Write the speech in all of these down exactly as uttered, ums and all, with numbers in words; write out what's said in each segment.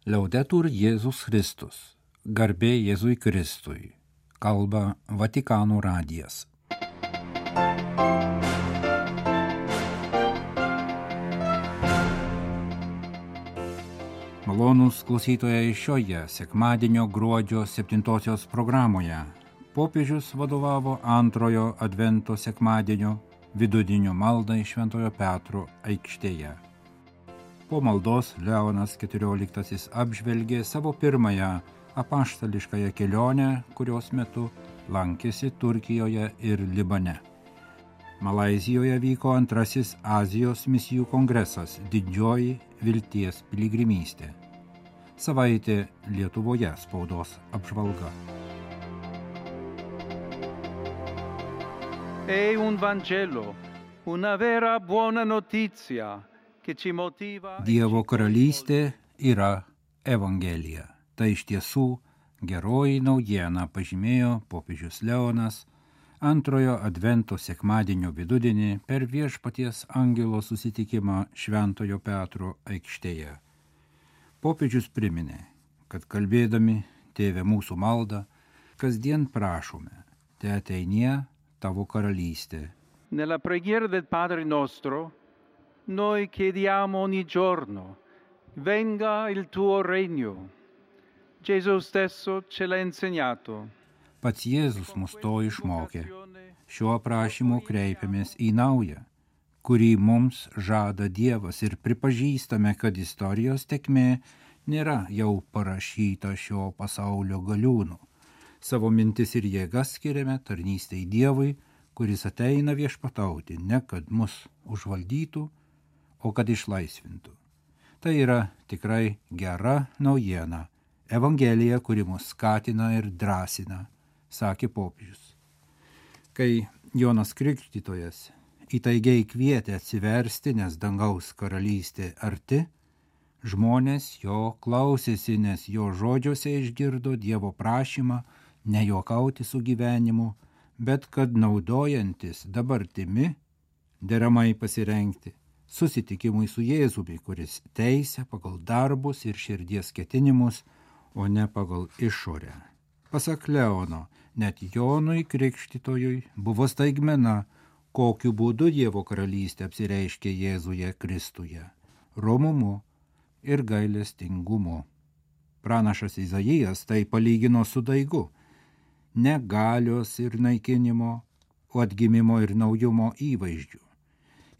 Laudetur Jėzus Kristus, garbė Jėzui Kristui, kalba Vatikano radijas. Malonūs klausytojai, šioje sekmadienio gruodžio septintosios programoje popiežius vadovavo antrojo advento sekmadienio vidudienio maldai Šventojo Petro aikštėje. Po maldos Leonas keturioliktasis apžvelgė savo pirmąją apaštališkąją kelionę, kurios metu lankėsi Turkijoje ir Libane. Malaizijoje vyko antrasis Azijos misijų kongresas Didžioji vilties piligrimystė. Savaitė Lietuvoje spaudos apžvalga. È un Vangelo, una vera buona notizia. Dievo karalystė yra Evangelija. Tai iš tiesų geroji naujiena, pažymėjo popiežius Leonas antrojo advento sekmadienio vidudienį per Viešpaties angelo susitikimą Šventojo Petro aikštėje. Popiežius priminė, kad kalbėdami Tėve mūsų maldą, kasdien prašome, te ateinie tavo karalystė. Nella preghiera del Padre nostro noi chiediamo ogni giorno, venga il tuo regno. Gesù stesso ce l'ha insegnato. Pats Jėzus mus to išmokė. Šiuo prašymu kreipiamės į naują, kurį mums žada Dievas ir pripažįstame, kad istorijos tėkmė nėra jau parašyta šio pasaulio galiūnų. Savo mintis ir jėgas skiriame tarnystei Dievui, kuris ateina viešpatauti, ne kad mus užvaldytų, o kad išlaisvintų. Tai yra tikrai gera naujiena, Evangelija, kuri mus skatina ir drąsina, sakė popiežius. Kai Jonas Krikštytojas įtaigiai kvietė atsiversti, nes dangaus karalystė arti, žmonės jo klausėsi, nes jo žodžiuose išgirdo Dievo prašymą nejuokauti su gyvenimu, bet kad naudojantis dabartimi deramai pasirengti susitikimui su Jėzumi, kuris teisia pagal darbus ir širdies ketinimus, o ne pagal išorę. Pasak Leono, net Jonui Krikštytojui buvo staigmena, kokiu būdu Dievo karalystė apsireiškė Jėzuje Kristuje – romumu ir gailestingumu. Pranašas Izaijas tai palygino su daigu – ne galios ir naikinimo, o atgimimo ir naujumo įvaizdžių.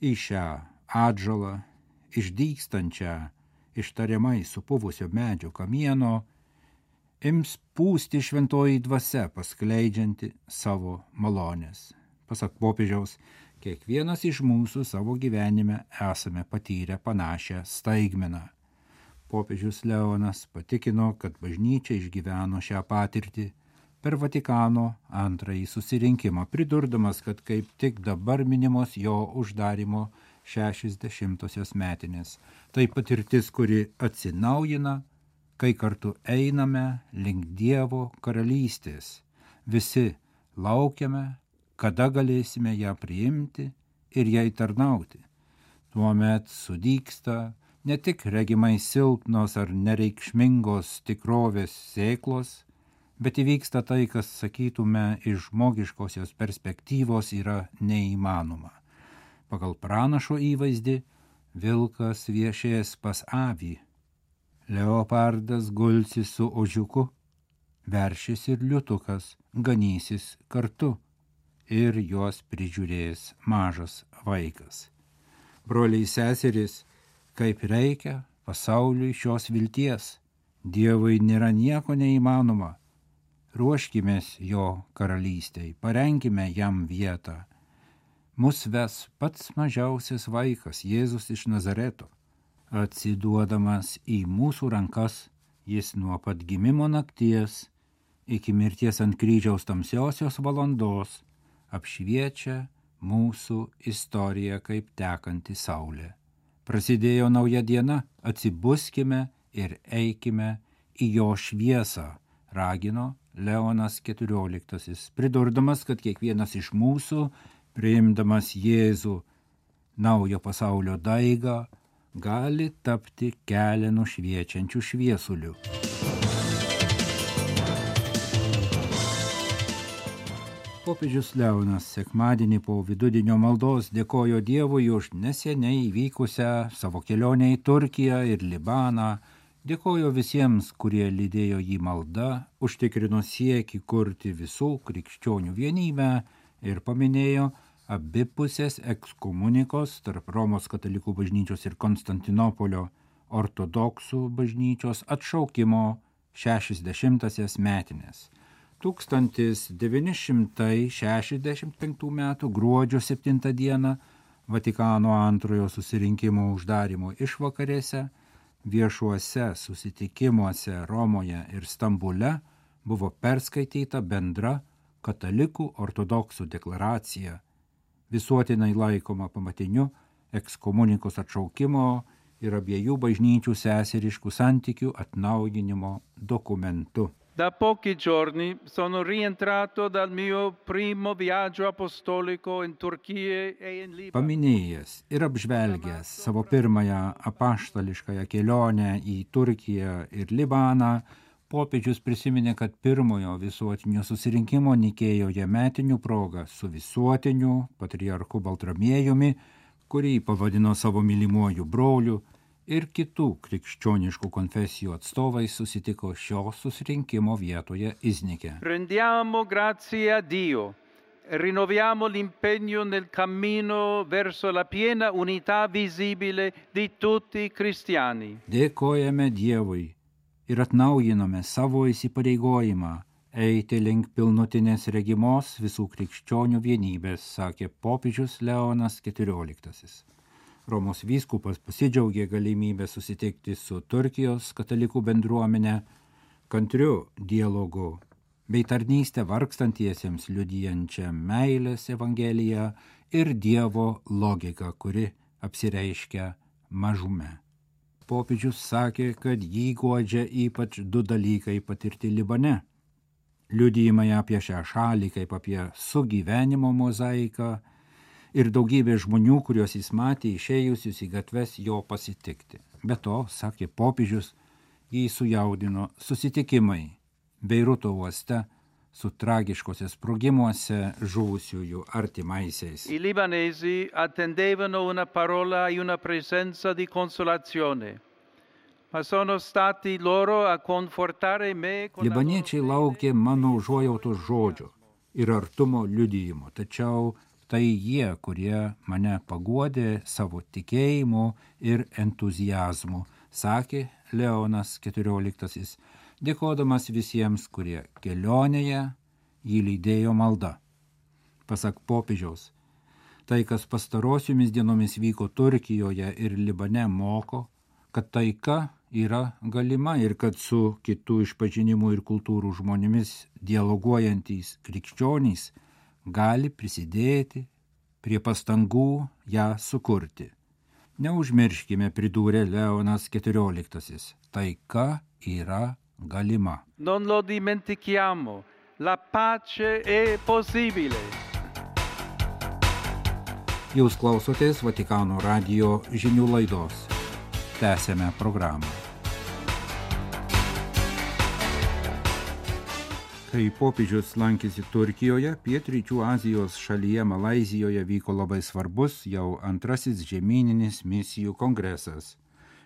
Į šią atžalą, išdygstančią, ištariamai supuvusio medžio kamieno, ims pūsti šventoji dvasia, paskleidžianti savo malonės. Pasak popiežiaus, kiekvienas iš mūsų savo gyvenime esame patyrę panašią staigmeną. Popiežius Leonas patikino, kad bažnyčia išgyveno šią patirtį per Vatikano antrąjį susirinkimą, pridurdamas, kad kaip tik dabar minimos jo uždarimo šešiasdešimtosios metinės. Tai patirtis, kuri atsinaujina, kai kartu einame link Dievo karalystės. Visi laukiame, kada galėsime ją priimti ir jai tarnauti. Tuomet sudygsta ne tik regimai silpnos ar nereikšmingos tikrovės sėklos, bet įvyksta tai, kas, sakytume, iš žmogiškosios perspektyvos yra neįmanoma. Pagal pranašo įvaizdį vilkas viešės pas avį, leopardas gulsis su ožiuku, veršis ir liutukas ganysis kartu ir juos prižiūrės mažas vaikas. Broliai seserys, kaip reikia pasauliui šios vilties, Dievui nėra nieko neįmanoma. Ruoškimės jo karalystei, parenkime jam vietą. Mus ves pats mažiausias vaikas, Jėzus iš Nazareto. Atsiduodamas į mūsų rankas, jis nuo pat gimimo nakties iki mirties ant kryžiaus tamsiosios valandos apšviečia mūsų istoriją kaip tekanti saulė. Prasidėjo nauja diena, atsibuskime ir eikime į jo šviesą, ragino Leonas keturioliktasis, pridurdamas, kad kiekvienas iš mūsų, priimdamas Jėzų naujo pasaulio daigą, gali tapti kelią nušviečiančių šviesulių. Popiežius Leonas sekmadienį po vidudienio maldos dėkojo Dievui už neseniai įvykusią savo kelionę į Turkiją ir Libaną, dėkojo visiems, kurie lydėjo jį malda, užtikrino siekį kurti visų krikščionių vienybę ir paminėjo abipusės ekskomunikos tarp Romos katalikų bažnyčios ir Konstantinopolio ortodoksų bažnyčios atšaukimo šešiasdešimtąsias metines. tūkstantis devyni šimtai šešiasdešimt penktų metų gruodžio septintą dieną Vatikano antrojo susirinkimo uždarimo išvakarėse viešuose susitikimuose Romoje ir Stambule buvo perskaityta bendra katalikų ortodoksų deklaracija, visuotinai laikoma pamatiniu ekskomunikos atšaukimo ir abiejų bažnyčių seseriškų santykių atnaujinimo dokumentu. Da pochi giorni sono rientrato dal mio primo viaggio apostolico in Turchia e in Libano. Paminėjęs ir apžvelgęs savo pirmąją apaštališkąją kelionę į Turkiją ir Libaną, popiežius prisiminė, kad pirmojo visuotinio susirinkimo Nikėjoje metinių proga su visuotiniu patriarchu Baltramiejumi, kurį pavadino savo mylimuoju broliu, ir kitų krikščioniškų konfesijų atstovai susitiko šio susirinkimo vietoje Iznike. Rendiamo grazie a Dio e rinnoviamo l'impegno nel cammino verso la piena unità visibile di tutti i cristiani. Dėkojame Dievui ir atnaujiname savo įsipareigojimą eiti link pilnutinės regimos visų krikščionių vienybės, sakė popiežius Leonas keturioliktasis. Romos vyskupas pasidžiaugė galimybę susitikti su Turkijos katalikų bendruomenė, kantriu dialogu bei tarnystę vargstantiesiems liudijančią meilės evangeliją ir Dievo logiką, kuri apsireiškia mažume. Popiežius sakė, kad jį guodžia ypač du dalykai patirti Libane. Liudijimai apie šią šalį kaip apie sugyvenimo mozaiką ir daugybė žmonių, kuriuos jis matė išėjusius į gatves jo pasitikti. Be to, sakė popiežius, jį sujaudino susitikimai Beiruto uoste su tragiškose sprogimuose žuvusiųjų artimaisiais. I libanesi attendevano una parola e una presenza di consolazione, ma sono stati loro a confortare me con Libaniečiai laukė mano užuojautos žodžio ir artumo liudijimo, tačiau tai jie, kurie mane paguodė savo tikėjimu ir entuziazmu, sakė Leonas keturioliktasis, dėkodamas visiems, kurie kelionėje jį lydėjo malda. Pasak popiežiaus, tai, kas pastarosiomis dienomis vyko Turkijoje ir Libane, moko, kad taika yra galima ir kad su kitų išpažinimų ir kultūrų žmonėmis dialoguojantys krikščionys gali prisidėti prie pastangų ją sukurti. Neužmirškime, pridūrė Leonas keturioliktasis, taika yra galima. Non lo dimentichiamo, la pace è possibile. Jūs klausotės Vatikano radijo žinių laidos. Tęsiame programą. Kai popiežius lankėsi Turkijoje, pietryčių Azijos šalyje Malaizijoje vyko labai svarbus jau antrasis žemyninis misijų kongresas.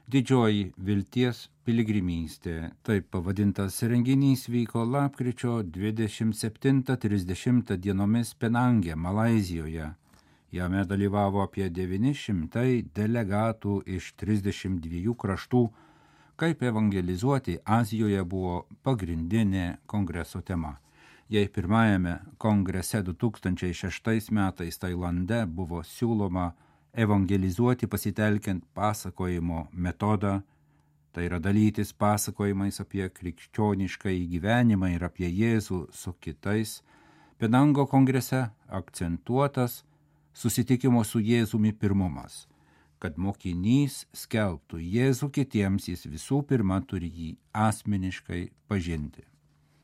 Didžioji vilties piligrimystė. Taip pavadintas renginys vyko lapkričio dvidešimt septintą trisdešimtą dienomis Penange, Malaizijoje. Jame dalyvavo apie devyni šimtai delegatų iš trisdešimt dviejų kraštų. Kaip evangelizuoti Azijoje buvo pagrindinė kongreso tema. Jei pirmajame kongrese du tūkstančiai šeštais metais Tailande buvo siūloma evangelizuoti pasitelkiant pasakojimo metodą, tai yra dalytis pasakojimais apie krikščionišką gyvenimą ir apie Jėzų su kitais, Penango kongrese akcentuotas susitikimo su Jėzumi pirmumas. Kad mokinys skelbtų Jėzų kitiems, jis visų pirma turi jį asmeniškai pažinti.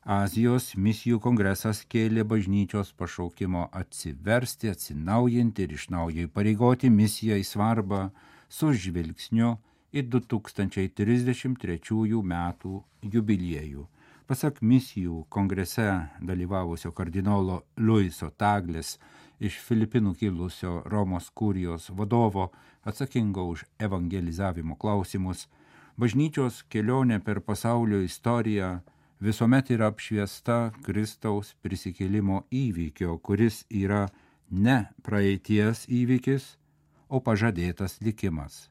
Azijos misijų kongresas kėlė bažnyčios pašaukimo atsiversti, atsinaujinti ir iš naujo įpareigoti misijai svarbą, su žvilgsniu į du tūkstančiai trisdešimt trečiųjų metų jubiliejų. Pasak misijų kongrese dalyvavusio kardinolo Luiso Taglės, iš Filipinų kilusio Romos kurijos vadovo atsakingo už evangelizavimo klausimus, bažnyčios kelionė per pasaulio istoriją visuomet yra apšviesta Kristaus prisikėlimo įvykio, kuris yra ne praeities įvykis, o pažadėtas likimas.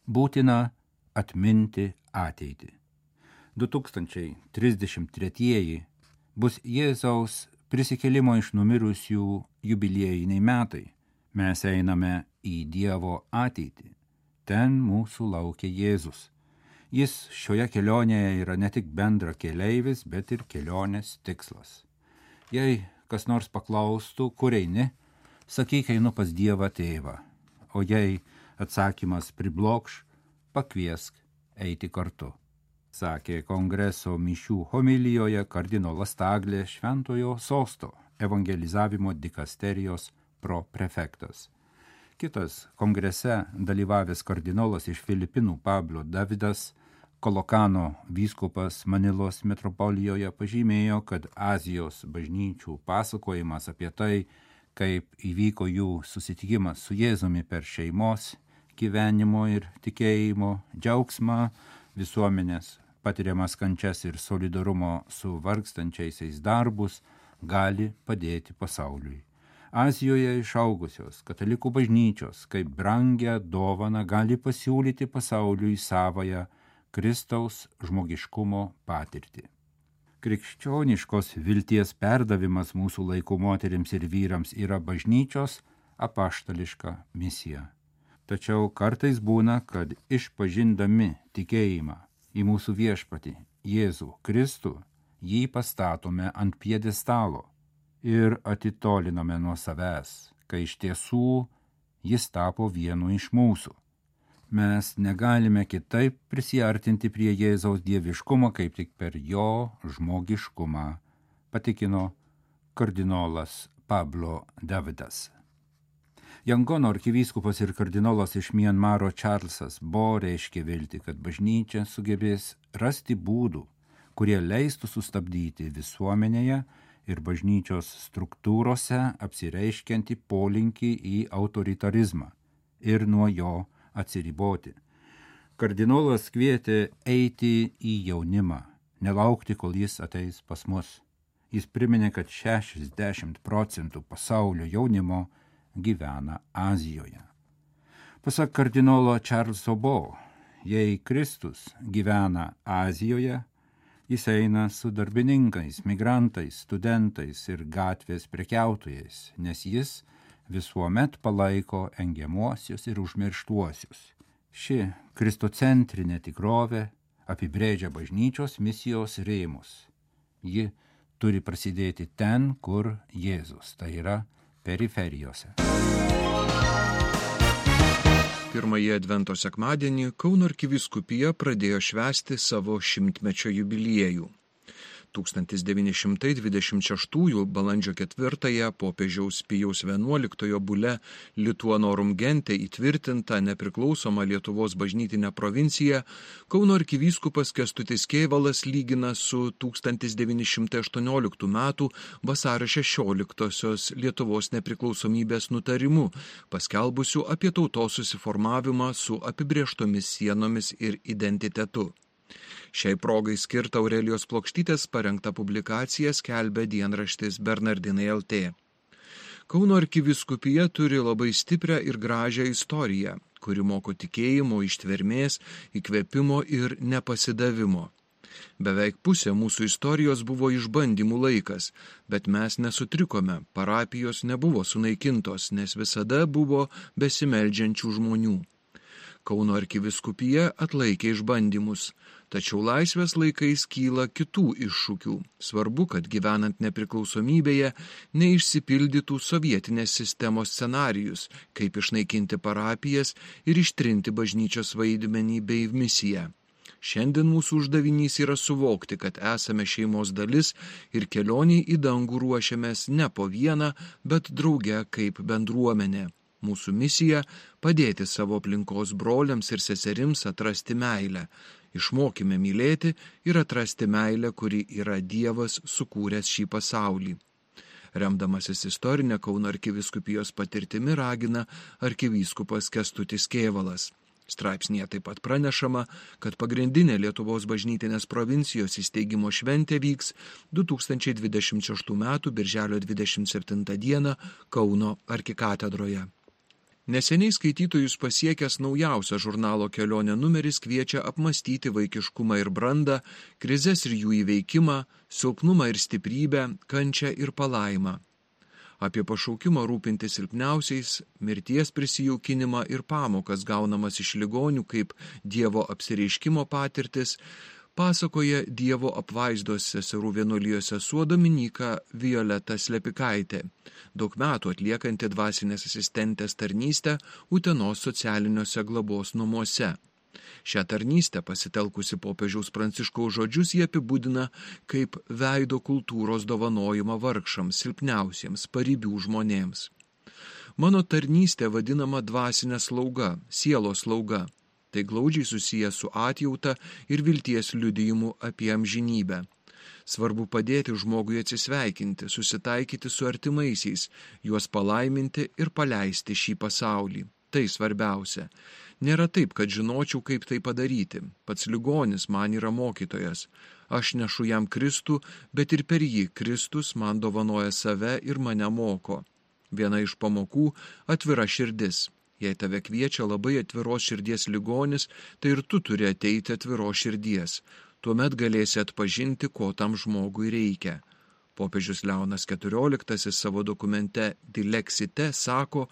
Būtina atminti ateitį. du tūkstančiai trisdešimt tretieji bus Jėzaus prisikėlimo iš numirusių jubiliejiniai metai. Mes einame į Dievo ateitį. Ten mūsų laukia Jėzus. Jis šioje kelionėje yra ne tik bendra keleivis, bet ir kelionės tikslas. Jei kas nors paklaustų, kur eini, sakyk, einu pas Dievą tėvą. O jei atsakymas priblokš, pakviesk eiti kartu, sakė kongreso mišių homilijoje kardinolas Taglė, Šventojo Sosto evangelizavimo dikasterijos proprefektas. Kitas kongrese dalyvavęs kardinolas iš Filipinų Pablo Davidas, Kolokano vyskupas Manilos metropolijoje, pažymėjo, kad Azijos bažnyčių pasakojimas apie tai, kaip įvyko jų susitikimas su Jėzumi per šeimos, gyvenimo ir tikėjimo džiaugsmą, visuomenės patiriamas kančias ir solidarumo su vargstančiaisiais darbus, gali padėti pasauliui. Azijoje išaugusios katalikų bažnyčios kaip brangią dovaną gali pasiūlyti pasauliui savąją Kristaus žmogiškumo patirtį. Krikščioniškos vilties perdavimas mūsų laikų moterims ir vyrams yra bažnyčios apaštališka misija. Tačiau kartais būna, kad išpažindami tikėjimą į mūsų viešpatį Jėzų Kristų, jį pastatome ant pjedestalo ir atitoliname nuo savęs, kai iš tiesų jis tapo vienu iš mūsų. Mes negalime kitaip prisiartinti prie Jėzaus dieviškumo, kaip tik per jo žmogiškumą, patikino kardinolas Pablo Davidas. Jangono arkivyskupas ir kardinolas iš Mianmaro Čarlzas Bo reiškė viltį, kad bažnyčia sugebės rasti būdų, kurie leistų sustabdyti visuomenėje ir bažnyčios struktūrose apsireiškiantį polinkį į autoritarizmą ir nuo jo atsiriboti. Kardinolas kvietė eiti į jaunimą, nelaukti, kol jis ateis pas mus. Jis priminė, kad šešiasdešimt procentų pasaulio jaunimo gyvena Azijoje. Pasak kardinolo Čarlzo Bo, jei Kristus gyvena Azijoje, jis eina su darbininkais, migrantais, studentais ir gatvės prekiautojais, nes jis visuomet palaiko engiamuosius ir užmirštuosius. Ši kristocentrinė tikrovė apibrėžia bažnyčios misijos rėmus. Ji turi prasidėti ten, kur Jėzus, tai yra periferijose. Pirmąjį advento sekmadienį Kauno arkivyskupija pradėjo švęsti savo šimtmečio jubiliejų. tūkstantis devyni šimtai dvidešimt šeštųjų balandžio ketvirtąją popiežiaus Pijaus vienuoliktojo bule Lituanorum Gente įtvirtinta nepriklausoma Lietuvos bažnytinė provincija Kauno arkivyskupas Kęstutis Kėvalas lygina su tūkstantis devyni šimtai aštuonioliktų metų vasario šešioliktosios Lietuvos nepriklausomybės nutarimu, paskelbusiu apie tautos susiformavimą su apibrėžtomis sienomis ir identitetu. Šiai progai skirtą Aurelijos Plokštytės parengtą publikaciją skelbia dienraštis Bernardinai L T. Kauno arkivyskupija turi labai stiprią ir gražią istoriją, kuri moko tikėjimo, ištvermės, įkvėpimo ir nepasidavimo. Beveik pusė mūsų istorijos buvo išbandymų laikas, bet mes nesutrikome, parapijos nebuvo sunaikintos, nes visada buvo besimeldžiančių žmonių. Kauno arkivyskupija atlaikė išbandymus, tačiau laisvės laikais kyla kitų iššūkių. Svarbu, kad gyvenant nepriklausomybėje neišsipildytų sovietinės sistemos scenarijus, kaip išnaikinti parapijas ir ištrinti bažnyčios vaidmenį bei misiją. Šiandien mūsų uždavinys yra suvokti, kad esame šeimos dalis ir kelionį į dangų ruošiamės ne po vieną, bet drauge kaip bendruomenė. Mūsų misija – padėti savo aplinkos broliams ir seserims atrasti meilę. Išmokime mylėti ir atrasti meilę, kuri yra Dievas sukūręs šį pasaulį. Remdamasis istorinę Kauno arkivyskupijos patirtimi ragina arkivyskupas Kęstutis Kėvalas. Straipsnyje taip pat pranešama, kad pagrindinė Lietuvos bažnytinės provincijos įsteigimo šventė vyks du tūkstančiai dvidešimt šeštų metų birželio dvidešimt septintą dieną Kauno arkikatedroje. Neseniai skaitytojus pasiekęs naujausias žurnalo Kelionė numeris kviečia apmastyti vaikiškumą ir brandą, krizes ir jų įveikimą, silpnumą ir stiprybę, kančią ir palaimą. Apie pašaukimą rūpinti silpniausiais, mirties prisijaukinimą ir pamokas gaunamas iš ligonių kaip Dievo apsireiškimo patirtis, pasakoja Dievo apvaizdos seserų vienuolijos sesuo Dominyka Violeta Slepikaitė, daug metų atliekanti dvasinės asistentės tarnystę Utenos socialiniuose globos namuose. Šią tarnystę pasitelkusi popiežiaus Pranciškaus žodžius jie apibūdina kaip veido kultūros dovanojimą vargšams, silpniausiems, paribių žmonėms. Mano tarnystė vadinama dvasinė slauga, sielos slauga. Tai glaudžiai susiję su atjauta ir vilties liudijimu apie amžinybę. Svarbu padėti žmogui atsisveikinti, susitaikyti su artimaisiais, juos palaiminti ir paleisti šį pasaulį. Tai svarbiausia. Nėra taip, kad žinočiau, kaip tai padaryti. Pats ligonis man yra mokytojas. Aš nešu jam Kristų, bet ir per jį Kristus man dovanoja save ir mane moko. Viena iš pamokų – atvira širdis. Jei tave kviečia labai atviros širdies ligonis, tai ir tu turi ateiti atviros širdies. Tuomet galėsi atpažinti, ko tam žmogui reikia. Popiežius Leonas keturioliktasis savo dokumente Dilexite sako,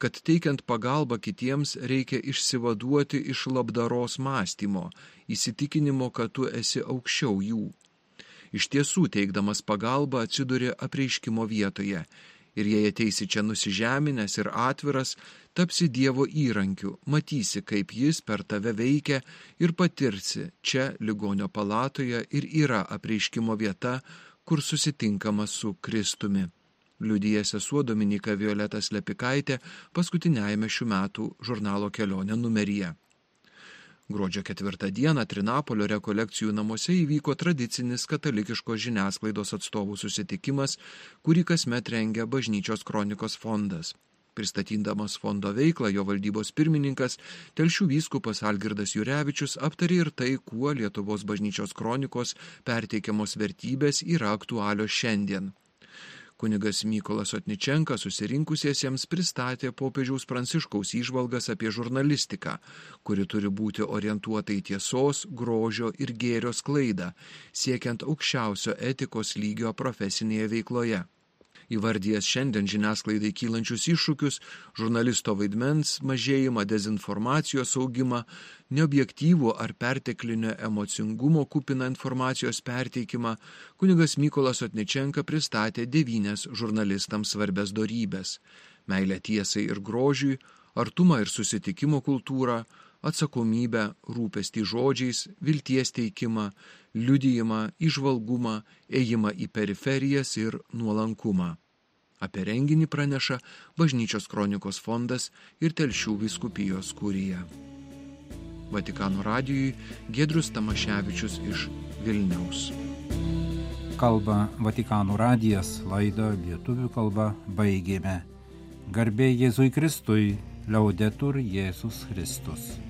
kad teikiant pagalbą kitiems reikia išsivaduoti iš labdaros mąstymo, įsitikinimo, kad tu esi aukščiau jų. Iš tiesų, teikdamas pagalbą atsiduri apreiškimo vietoje ir jei ateisi čia nusižeminęs ir atviras, tapsi Dievo įrankiu, matysi, kaip jis per tave veikia ir patirsi, čia ligonio palatoje ir yra apreiškimo vieta, kur susitinkama su Kristumi. Liudija sesuo Dominyka Violeta Slepikaitė paskutiniajame šių metų žurnalo Kelionė numeryje. Gruodžio ketvirtą dieną Trinapolio rekolekcijų namuose įvyko tradicinis katalikiškos žiniasklaidos atstovų susitikimas, kurį kasmet rengia Bažnyčios kronikos fondas. Pristatydamas fondo veiklą, jo valdybos pirmininkas, Telšių vyskupas Algirdas Jurevičius aptarė ir tai, kuo Lietuvos Bažnyčios kronikos perteikiamos vertybės yra aktualios šiandien. Kunigas Mykolas Otničenka susirinkusiesiems pristatė popiežiaus Pranciškaus įžvalgas apie žurnalistiką, kuri turi būti orientuota į tiesos, grožio ir gėrio sklaidą, siekiant aukščiausio etikos lygio profesinėje veikloje. Įvardijęs šiandien žiniasklaidai kylančius iššūkius, žurnalisto vaidmens mažėjimą, dezinformacijos augimą, neobjektyvų ar perteklinio emocingumo kupiną informacijos perteikimą, kunigas Mykolas Otničenka pristatė devynias žurnalistams svarbias dorybes – meilę tiesai ir grožiui, artumą ir susitikimo kultūrą, atsakomybę, rūpestį žodžiais, vilties teikimą, liudijimą, įžvalgumą, ėjimą į periferijas ir nuolankumą. Apie renginį praneša Bažnyčios kronikos fondas ir Telšių vyskupijos kurija. Vatikano radijui Giedrius Tamaševičius iš Vilniaus. Kalba Vatikano radijas, laidą lietuvių kalba baigėme. Garbė Jėzui Kristui, Liaudetur Jėzus Kristus.